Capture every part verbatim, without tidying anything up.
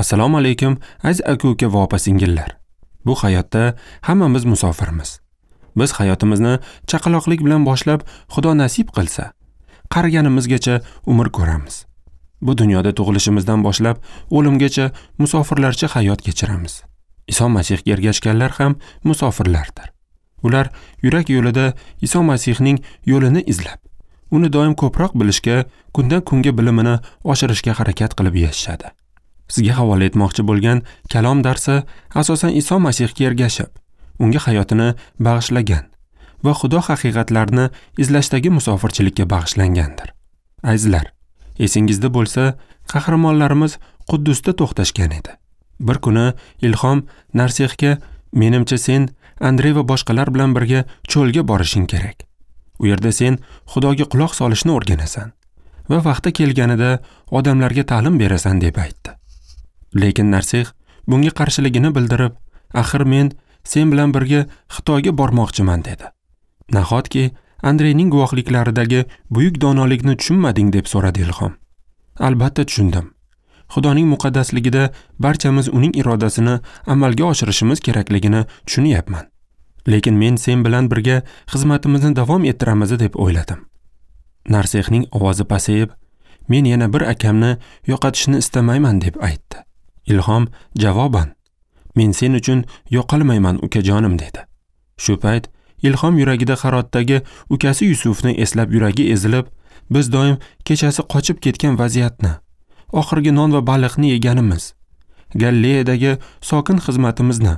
Assalomu alaykum, aziz aka-uka va opa-singillar. Bu hayotda hammamiz musofirmiz. Biz hayotimizni chaqaloqlik bilan boshlab, Xudo nasib qilsa, qariganimizgacha umr ko'ramiz. Bu dunyoda tug'ilishimizdan boshlab o'limgacha musofirlarcha hayot kechiramiz. Iso Masihga ergashganlar ham musofirlardir. Ular yurak yo'lida Iso Masihning yo'lini izlab, uni doim ko'proq bilishga, kundan kunga bilimini oshirishga harakat qilib yashashadi. Sizga havola etmoqchi bo'lgan kalom darsi asosan Iso Masihga ergashib, unga hayotini bag'ishlagan va Xudo haqiqatlarini izlashdagi musofirchilikka bag'ishlangandir. Azizlar, esingizda bo'lsa, qahramonlarimiz Quddusda to'xtashgan edi. Bir kuni Ilhom Narsixga, "Menimcha sen Andrey va boshqalar bilan birga cho'lga borishing kerak. U yerda sen Xudoga quloq solishni o'rganasan va vaqti kelganida odamlarga ta'lim berasan" deb aytdi. Lekin Narsix bunga qarshiligini bildirib, "Axir men sen bilan birga Xitoyga bormoqchiman" dedi. "Nahotki Andreyning guvohliklaridagi buyuk donolikni tushunmading?" deb so'radi Ilhom. "Albatta tushundim. Xudoning muqaddasligida barchamiz uning irodasini amalga oshirishimiz kerakligini tushunyapman. Lekin men sen bilan birga xizmatimizni davom ettiramiz deb o'yladim." Narsixning ovozi pasayib, "Men yana bir akamni yo'qotishni istamayman" deb aytdi. Ilhom javoban, "Men sen uchun yo'qolmayman, ukajonim" dedi. Shu payt Ilhom yuragida Harotdagi ukasi Yusufni eslab yuragi ezilib, biz doim kechasi qochib ketgan vaziyatni, oxirgi non va baliqni yeganimiz, Galileyadagi sokin xizmatimizni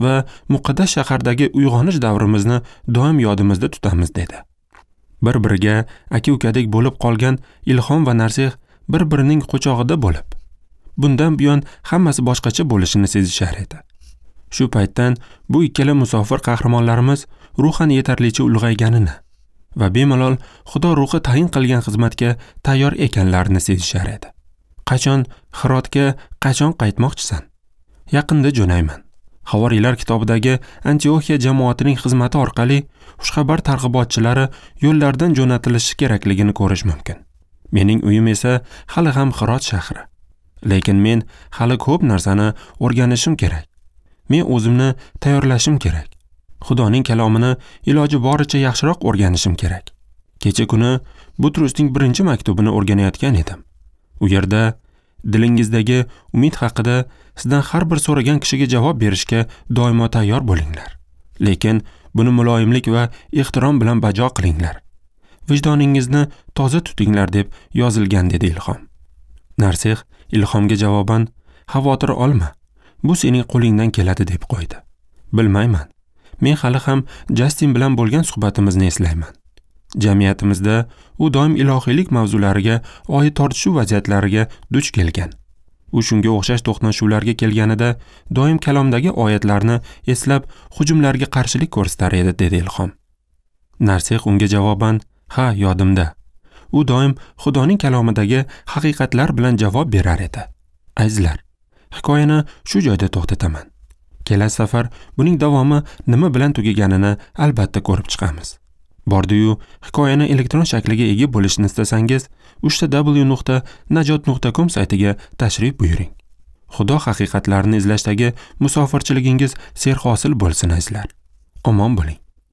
va muqaddas shahardagi uyg'onish davrimizni doim yodimizda tutamiz dedi. Bir-biriga aka-ukadek bo'lib qolgan Ilhom va Narsix bir-birining quchog'ida bo'lib, bundan buyon hammasi boshqacha bo'lishini sezishar edi. Shu paytdan bu ikkala musofir qahramonlarimiz ruhan yetarlicha ulg'ayganini va bemalol Xudo ruhi tayin qilgan xizmatga tayyor ekanlarini sezishar edi. "Qachon Hirotga qachon qaytmoqchisan?" "Yaqinda jo'nayman." Havoriylar kitobidagi Antioxiya jamoatining xizmati orqali xushxabar targ'ibotchilari yo'llardan jo'natilishi kerakligini ko'rish mumkin. Mening uyim esa hali ham Hirot shahri. Lekin men hali ko'p narsani o'rganishim kerak. Men o'zimni tayyorlashim kerak. Xudoning kalomini iloji boricha yaxshiroq o'rganishim kerak. Kecha kuni Butrusning birinchi maktubini o'rganayotgan edim. U yerda dilingizdagi umid haqida sizdan har bir so'ragan kishiga javob berishga doimo tayyor bo'linglar. Lekin buni muloyimlik va ehtirom bilan bajo qilinglar. Vijdoningizni toza tutinglar deb yozilgan dedi Ilhom. Narsix Ilhomga javoban, "Xavotir olma. Bu sening qo'lingdan keladi" deb qo'ydi. "Bilmayman. Men hali ham Justin bilan bo'lgan suhbatimizni eslayman. Jamiyatimizda u doim ilohiylik mavzulariga oid tortishuv vaziyatlariga duch kelgan. U shunga o'xshash to'qnashuvlarga kelganida doim kalomdagi oyatlarni eslab hujumlarga qarshilik ko'rsatar edi" dedi Ilhom. Narsix unga javoban, "Ha, yodimda. U doim Xudoning kalomidagi haqiqatlar bilan javob berar edi." Azizlar, hikoyani shu joyda to'xtataman. Kelasi safar buning davomi nima bilan tugaganini albatta ko'rib chiqamiz. Bordi-yu, hikoyani elektron shakliga ega bo'lishni istasangiz, uch ta w nuqta najot nuqta com saytiga tashrif buyuring. Xudo haqiqatlarini izlashdagi musofirchiligingiz serhosil bo'lsin azizlar. Omon bo'ling.